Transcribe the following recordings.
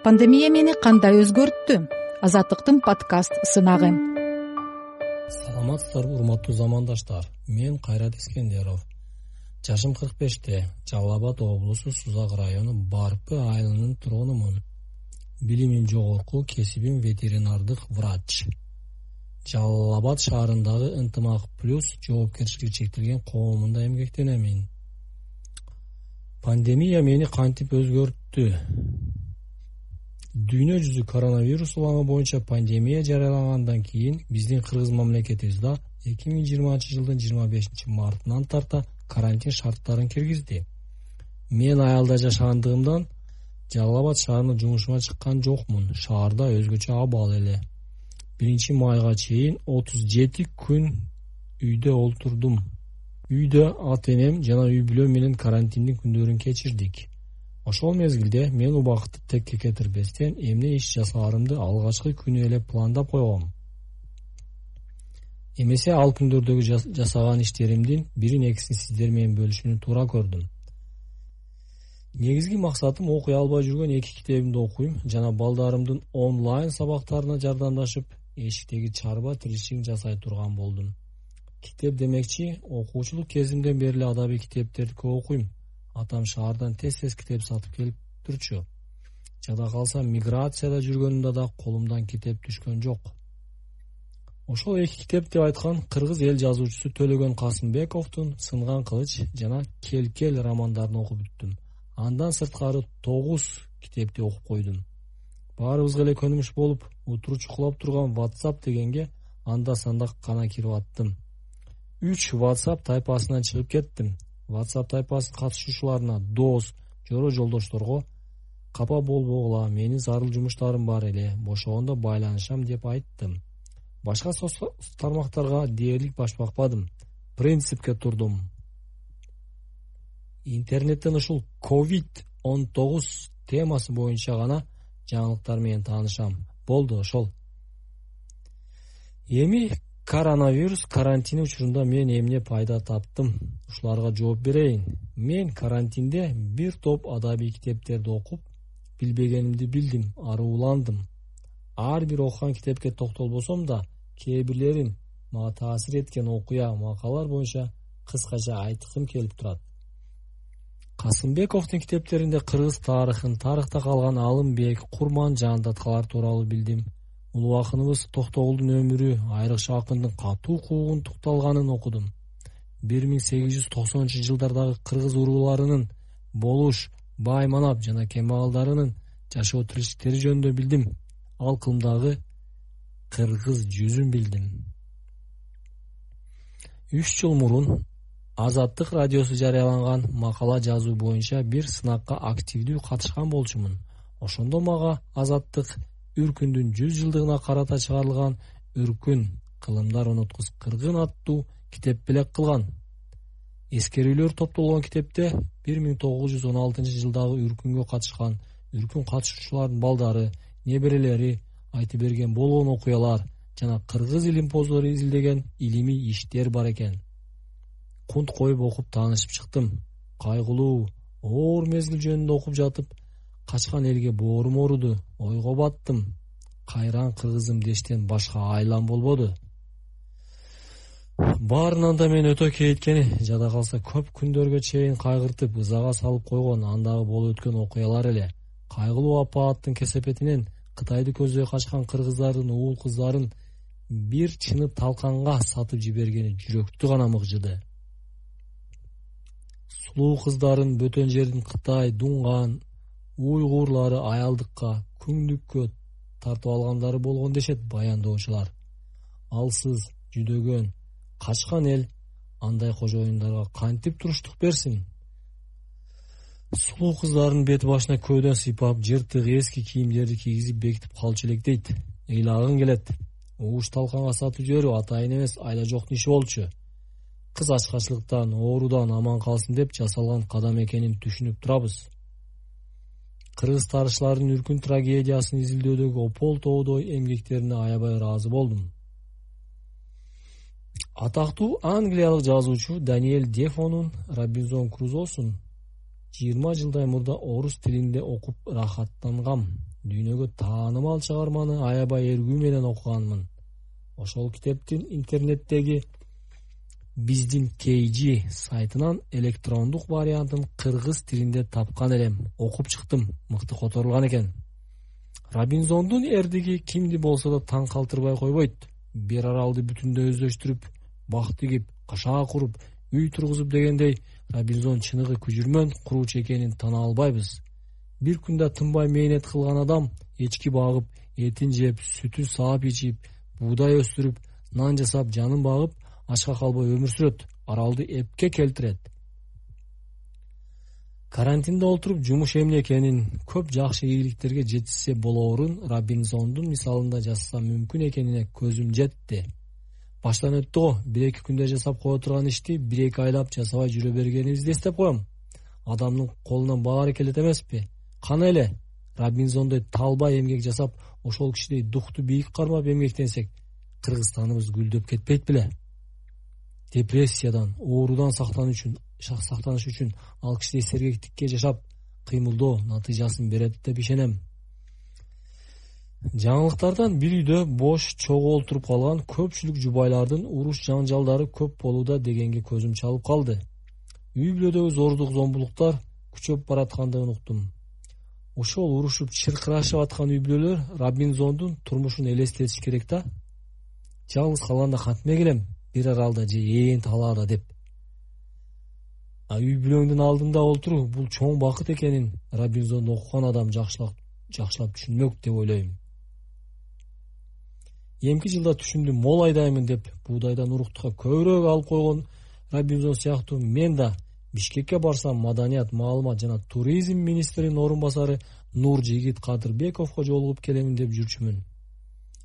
Пандемия мени кандай өзгөрттү? Азаттыктын подкаст сынагы. Саламатсыздарбы, урматтуу замандаштар. Мен Кайрат Искендеров. Жашым 45-те. Жалал Абад облусу Сузак району Барпы айылынын тургунумун. Билимим жогорку, кесибим ветеринардык врач. Жалал Абад шаарындагы Ынтымак плюс жоопкерчилиги чектелген коомунда эмгектенемин. Пандемия мени кантип өзгөрттү? Дүйнө жүзү коронавирус уланы боюнча пандемия жарыялагандан кийин биздин Кыргыз мамлекетибизде 2020 жылдын 25 мартынан тарта карантин шарттарын киргизди. Мен айылда жашагандыгымдан Жалал Абад шаарына жумушума чыккан жокмун. Шаарда өзгөчө абал эле. 1 майга чейин 37 күн үйдө олтурдум. Үйдө ата-энем жана үй бүлөм менен карантиндин күндөрүн кечирдик. Ошол мезгилде мен убакытты текке кетирбестен эмне иш жасаарымды алгачкы күнү эле пландап койгом. Эмесе ал күндөрдөгү жасаган иштеримдин бирин-экисин сиздер менен бөлүшүүнү туура көрдүм. Негизги максатым окуй албай жүргөн 2 китебимди окуйм жана балдарымдын онлайн сабактарына жардамдашып, эшиктеги чарба тиричилигин жасай турган болдум. Китеп демекчи, окуучулук кезимден бери эле адабий китептерди көп окуйм. Атам шаардан тез китеп сатып келип турчу. Жада калса миграцияда жүргөнүмдө да колумдан китеп түшкөн жок. Ошол 2 китеп деп айткан кыргыз эл жазуучусу Төлөгөн Касымбековдун Сынган кылыч жана Кел романдарын окуп бүттүм. Андан сырткары 9 китепти окуп койдум. Баарыбызга эле көнүмүш болуп, утуру чукулап турган WhatsApp дегенге анда-санда гана кирип аттым. 3 WhatsApp тайпасынан чыгып кеттим. WhatsApp тайпасынын катышуучуларына, дос, жоро жолдошторго капа болбогула, менин зарыл жумуштарым бар эле, бошогондо байланышам деп айттым. Башка тармактарга дээрлик башпакпадым. Принципке турдум. Интернеттен ушул COVID-19 темасы боюнча гана жаңылыктар менен таанышам. Болду ошол. Эми коронавирус карантини учурунда мен эмне пайда таптым? Ушуларга жооп берейин. Мен карантинде бир топ адабий китептерди окуп, билбегенимди билдим, арууландым. Ар бир окуган китепке токтолбосом да, кээ бирлерин мага таасир эткен окуя, макалалар боюнча кыскача айткым келип турат. Касымбековдун китептеринде кыргыз тарыхын, тарыхта калган Алымбек, Курман Жаандаткалар тууралуу билдим. Улуу акыныбыз Токтогулдун өмүрү, айрыкча акындын катуу куугун тукталганын окудум. 1890-жылдардагы кыргыз урууларынын Болуш, Байманап жана Кемалдарынын жашоо тиричиликтери жөнүндө билдим. Ал кылымдагы кыргыз жүзүн билдим. 3 жыл мурун Азаттык радиосу жарыяланган макала жазуу боюнча бир сынакка активдүү катышкан болчумун. Ошондо мага Азаттык Үркүндүн 100 жылдыгына карата чыгарылган Үркүн кылымдар уnuткус кыргын аттуу китеп белек кылган. Эскерүүлөр топтолгон китепте 1916 жылдагы Үркүнгө катышкан, Үркүн катышуучулардын балдары, неберелери айтып берген болгон окуялар жана кыргыз илимпоздору изилдеген илимий иштер бар экен. Кунт коюп окуп таанышып чыктым. Кайгылуу, оор мезгил жөнүндө окуп жатып, качкан элге боорум ооруду, ойго баттым. Кайран кыргызым дештен башка айлам болбоду. Баарынан да мен өтө кейиткени, жада калса көп күндөргө чейин кайгыртып, ызага салып койгон андагы болуп өткөн окуялар эле. Кайгылуу апааттын кесепетинен Кытайды көздөй качкан кыргыздардын уул кыздарын бир чынып талканга сатып жибергени жүрөктү гана мыгжыды. Сулуу кыздарын бөтөн жердин Кытай, Дунган, уйгурлары аялдыкка, күңдүккө тартып алгандары болгон дешет баяндоочулар. Алсыз, жүдөгөн, качкан эл андай кожоюндарга кантип туруштук берсин? Сулуу кыздардын бет башына көөдөн сыйпап, жыртык эски кийимдерди кийгизип бекитип калчу элек дейт. Ыйлагың келет. Ууш талканга сатып жиберүү атайын эмес, айла жоктун иши болчу. Кыз ачкачылыктан, оорудан аман калсын деп жасалган кадам экенин түшүнүп турабыз. Кыргыз тарыхчылардын Үркүн трагедиясын изилдөөдөгү опол-тоодой эмгектерине аябай ыраазы болдум. Атактуу англиялык жазуучу Даниэль Дефонун Робинзон Крузосун 20 жылдай мурда орус тилинде окуп рахаттангам. дүйнөгө таанымал чыгарманы аябай эргүү менен окуганмын. Ошол китептин интернеттеги биздин KG сайтынан электрондук вариантын кыргыз тилинде тапкан элем. Окуп чыктым. Мыкты которулган экен. Робинзондун эрдиги кимди болсо да таң калтырбай койбойт. Бир аралды бүтүндөй өздөштүрүп, бак тигип, кашаа куруп, үй тургузуп дегендей, Робинзон чыныгы күжүрмөн куруучу экенин тана албайбыз. Бир күндө тынбай мээнет кылган адам эчки багып, этин жеп, сүтүн саап ичип, буудай өстүрүп, нан жасап, жанын багып, ачка калбай өмүр сүрөт, аралды эпке келтирет. Карантинде отуруп жумуш эмне экенин, көп жакшы ийгиликтерге жетишсе болоорун Робинзондун мисалында жазса мүмкүн экенине көзүм жетти. Баштан өттү го, 1-2 күндө жасап кое турган ишти 1-2 айлап жасабай жүрө бергенибизди эстеп коем. Адамдын колунан баары келет эмеспи? Кана эле Робинзондой талбай эмгек жасап, ошол кишидей дукту бийик кармап эмгектенсек, Кыргызстаныбыз гүлдөп кетпейт беле? Депрессиядан, оорудан сактаныш үчүн ал кишидей сергектикке жашап, кыймылдоо натыйжасын берет деп ишенем. Жаңылыктардан бир үйдө бош чогуу олтуруп калган көпчүлүк жубайлардын уруш жаңжалдары көп болууда дегенге көзүм чалып калды. Үй бүлөдөгү зордук зомбулуктар күчөп бараткандыгын уктум. Ошол урушуп чыркырашып аткан үй бүлөлөр Робинзондун турмушун элестетиш керек да. Жалгыз калганда кантип келем, бир аралда же ээн талаада деп. Үй бүлөңдүн алдында отуруу бул чоң бакыт экенин Робинзонду окуган адам жакшылап түшүнмөк деп ойлойм. Эмки жылда түшүндүм, мол айдаймын деп буудайдан уруктукка көбүрөөк алып койгон Робинзон сыяктуу мен да Бишкекке барсам маданият, маалымат жана туризм министринин орун басары Нуржигит Кадырбековго жолугуп келемин деп жүрчүмүн.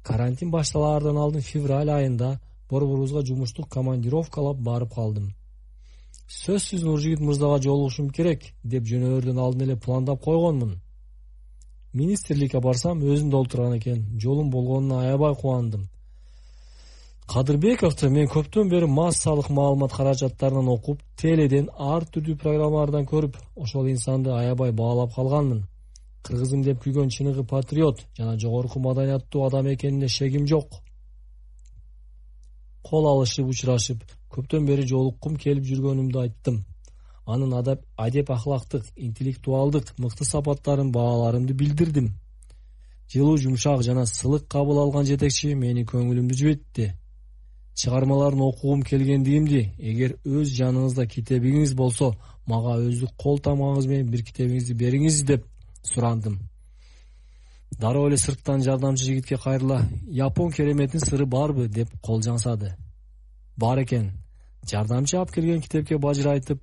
Карантин башталаардан алдын февраль айында борборубузга жумуштук командировкалап барып калдым. Сөзсүз Нуржигит мырзага жолугушум керек деп жөнөөрдөн алдын эле пландап койгонмун. Министрликке барсам өзүндө олтурган экен. Жолум болгонуна аябай кубандым. Кадырбековду мен көптөн бери массалык маалымат каражаттарынан окуп, теледен ар түрдүү программалардан көрүп, ошол инсанды аябай баалап калганмын. Кыргызым деп күйгөн чыныгы патриот жана жогорку маданияттуу адам экенине шегим жок. Кол алышып, учурашып, көптөн бери жолуккум келип жүргөнүмдү айттым. Анын адеп ахлактык, интеллектуалдык мыкты сапаттарын бааларымды билдирдим. Жылуу, жумшак жана сылык кабыл алган жетекчи мени көңүлүмдү жибетти. Чыгармаларын окугум келгендигимди, эгер өз жаныңызда китебиңиз болсо, мага өздүк кол тамгаңыз менен бир китебиңизди бериңиз деп сурандым. Дароо эле сырттан жардамчы жигитке кайрыла, Япон кереметин сыры барбы деп кол жаңсады. Бар экен. Жардамчы алып келген китепке бажырайтып,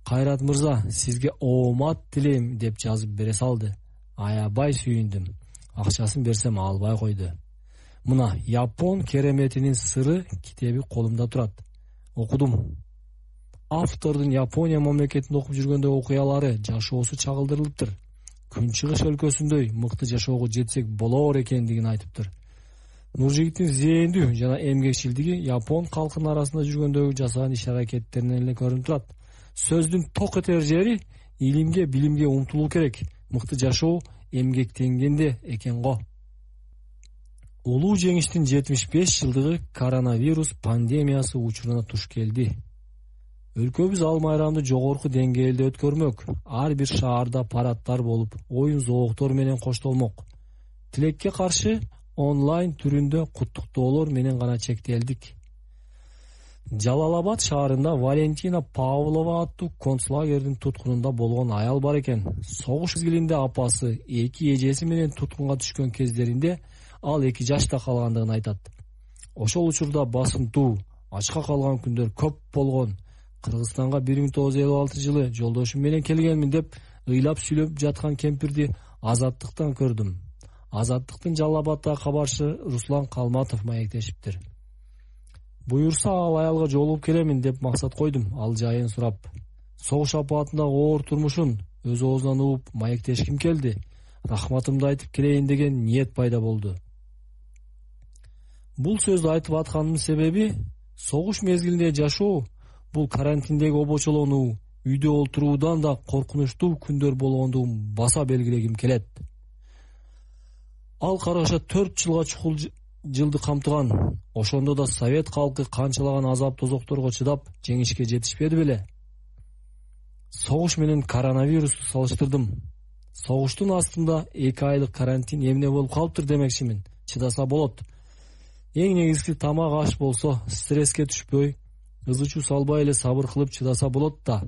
Кайрат мырза, сизге оомат тилейм деп жазып бере салды. Аябай сүйүндүм. Акчасын берсем албай койду. Мына Япон кереметинин сыры китеби колумда турат. Окудум. Автордун Япония мамлекетинде окуп жүргөндө окуялары, жашоосу чагылдырылыптыр. Күнчыгыш өлкөсүндөй мыкты жашоого жетсек болоор экендигин айтыптыр. Нуржигиттин зээндүү жана эмгекчилдиги Япон калкынын арасында жүргөндөгү жасаган иш-аракеттеринен эле көрүнүп турат. Сөздүн ток этер жери илимге, билимге умтулуу керек. Мыкты жашоо эмгектенгенде экен го. Улуу жеңиштин 75 жылдыгы коронавирус пандемиясы учуруна туш келди. Өлкөбүз ал майрамды жогорку деңгээлде өткөрмөк. Ар бир шаарда парадтар болуп, оюн зооктор менен коштолмок. Тилекке каршы онлайн түрүндө куттуктоолор менен гана чектелдик. Жалалабад шаарында Валентина Павлова аттуу концлагердин туткунунда болгон аял бар экен. Согуш мезгилинде апасы 2 эжеси менен туткунга түшкөн кездеринде ал 2 жашта калгандыгын айтат. Ошол учурда басымтуу, ачка калган күндөр көп болгон. Кыргызстанга 1956 жылы жолдошум менен келгенмин деп ыйлап сүйлөп жаткан кемпирди Азаттыктан көрдүм. Азаттыктын Жалалабадтагы кабарчысы Руслан Калматов маектешиптир. Буюрса ал аялга жолугуп келемин деп максат койдум, ал жайын сурап. Согуш апаатындагы оор турмушун өз оозунан угуп маектешким келди. Рахматымды айтып келейин деген ниет пайда болду. Бул сөздү айтып атканымдын себеби согуш мезгилинде жашоо бул карантиндеги обочолонуу, үйдө отуруудан да коркунучтуу күндөр болгондугун баса белгилегим келет. Ал караша 4 жылга чукул жылды камтыган. Ошондо да совет калкы канчалаган азап тозокторго чыдап жеңишке жетишпеди беле. Согуш менен коронавирусту салыштырдым. Согуштун астында 2 айлык карантин эмне болуп калыптыр демекчимин. Чыдаса болот. Эң негизги тамак аш болсо, стресске түшпөй, ызычуу салбай эле сабыр кылып чыдаса болот да.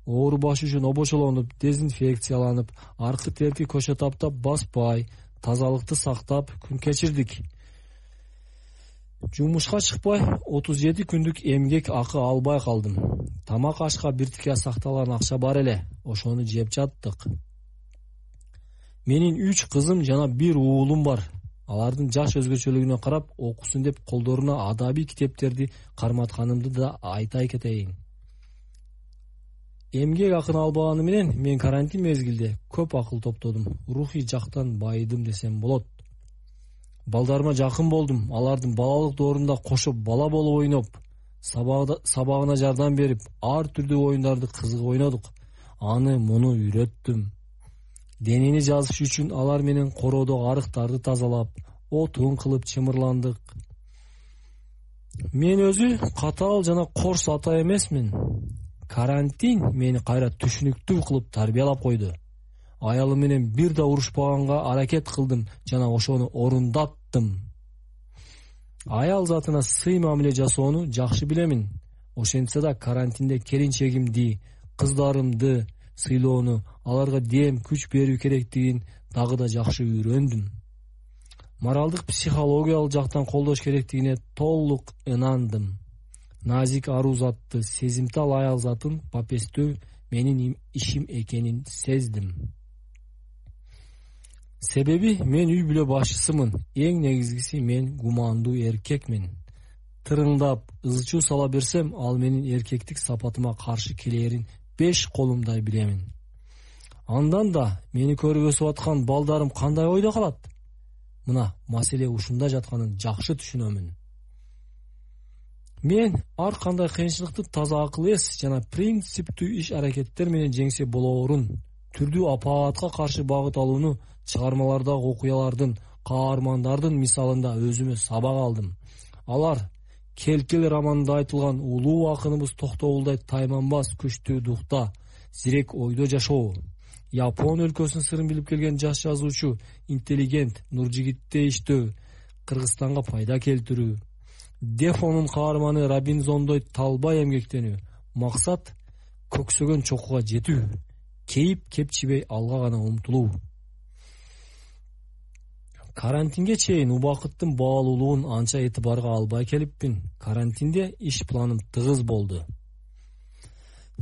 Оору баш үчүн обочолонуп, дезинфекцияланып, аркы терки көчө таптап баспай, тазалыкты сактап күн кечирдик. Жумушка чыкпай 37 күндүк эмгек акы албай калдым. Тамак ашка биртикке сакталган акча бар эле, ошону жеп жаттык. Менин 3 кызым жана 1 уулум бар. Алардын жаш өзгөчөлүгүнө карап, окусун деп колдоруна адабий китептерди карматканымды да айтай кетейин. Эмгек акын албаганы менен мен карантин мезгилде көп акыл топтодум. Рухий жактан байыдым десем болот. Балдарыма жакын болдум. Алардын балалык доорунда кошо бала болуп ойноп, сабагына жардам берип, ар түрдүү оюндарды кызык ойнодук. Аны муну үйрөттүм. Денени жазыш үчүн алар менен короодогу арыктарды тазалап, отун кылып чымырландык. Мен өзү катаал жана корс ата эмесмин. Карантин мени кайра түшүнүктүү кылып тарбиялап койду. Аялым менен бир да урушпаганга аракет кылдым жана ошону орундаттым. Аял затына сый мамиле жасоону жакшы билемин. Ошентсе да карантинде келинчегимди, кыздарымды сыйлоону, аларга дем, күч берүү керектигин дагы да жакшы үйрөндүм. Моралдык, психологиялык жактан колдош керектигине толук ынандым. Назик аруу затты, сезимтал аял затын папестөө менин ишим экенин сездим. Себеби мен үй бүлө башчысымын. Эң негизгиси мен гумандуу эркекмин. Тырыңдап, ызычуу сала берсем, ал менин эркектик сапатыма каршы келерин 5 колумдай билемин. Андан да мени көрүп өсүп аткан балдарым кандай ойдо калат? Мына маселе ушунда жатканын жакшы түшүнөмүн. Мен ар кандай кыйынчылыкты таза акыл эс жана принциптүү иш аракеттер менен жеңсе болоорун, түрдүү апаатка каршы багыт алууну чыгармалардагы окуялардын, каармандардын мисалында өзүмө сабак алдым. Алар Келкел романында айтылган улуу акыныбыз Токтогулдай тайманбас күчтүү духта, зирек ойдо жашоо. Япон өлкөсүнүн сырын билип келген жаш жазуучу, интеллигент, Нуржигитте иштөө, Кыргызстанга пайда келтирүү. Дефонун каарманы Робинзондой талбай эмгектенүү. Максат көксөгөн чокуга жетүү. Кейип кепчибей алга гана умтулуу. Карантинге чейин убакыттын баалуулугун анча этибарга албай келиппин. Карантинде иш планым тыгыз болду.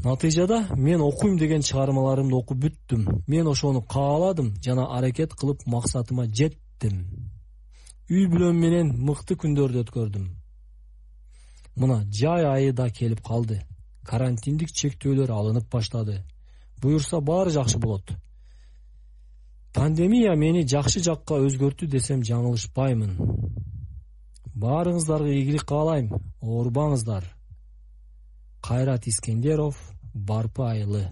Натыйжада мен окуйм деген чыгармаларымды окуп бүттүм. Мен ошону кааладым жана аракет кылып максатыма жеттим. Үй бүлөм менен мыкты күндөрдү өткөрдүм. Мына жай айы да келип калды. Карантиндик чектөөлөр алынып баштады. Буюрса баары жакшы болот. Пандемия мени жакшы жакка өзгөрттү десем жаңылышпаймын. Баарыңыздарга ийгилик каалайм. Оорубаңыздар. Кайрат Искендеров, Барпы айылы.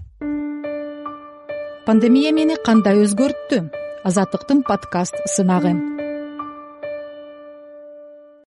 Пандемия мени кандай өзгөрттү? Азаттыктын подкаст сынагы.